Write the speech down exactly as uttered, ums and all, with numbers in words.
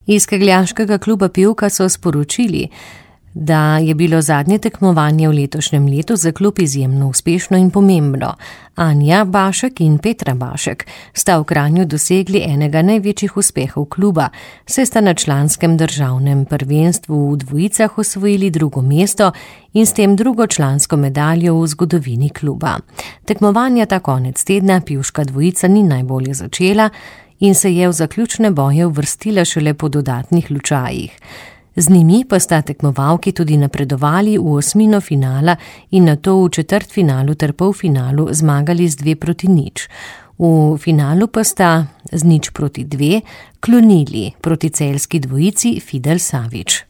Iz kegljaškega kluba Pivka so sporočili, da je bilo zadnje tekmovanje v letošnjem letu za klub izjemno uspešno in pomembno. Anja Bašek in Petra Bašek sta v Kranju dosegli enega največjih uspehov kluba, saj sta na članskem državnem prvenstvu v dvojicah osvojili drugo mesto in s tem drugo člansko medaljo v zgodovini kluba. Tekmovanja ta konec tedna pivška dvojica ni najbolje začela in se je v zaključne boje uvrstila šele po dodatnih lučajih. Z njimi pa sta tekmovalki tudi napredovali v osmino finala in nato v četrtfinalu ter polfinalu zmagali z dve proti nič. V finalu pa sta z nič proti dve klonili proti celjski dvojici Fidel Savič.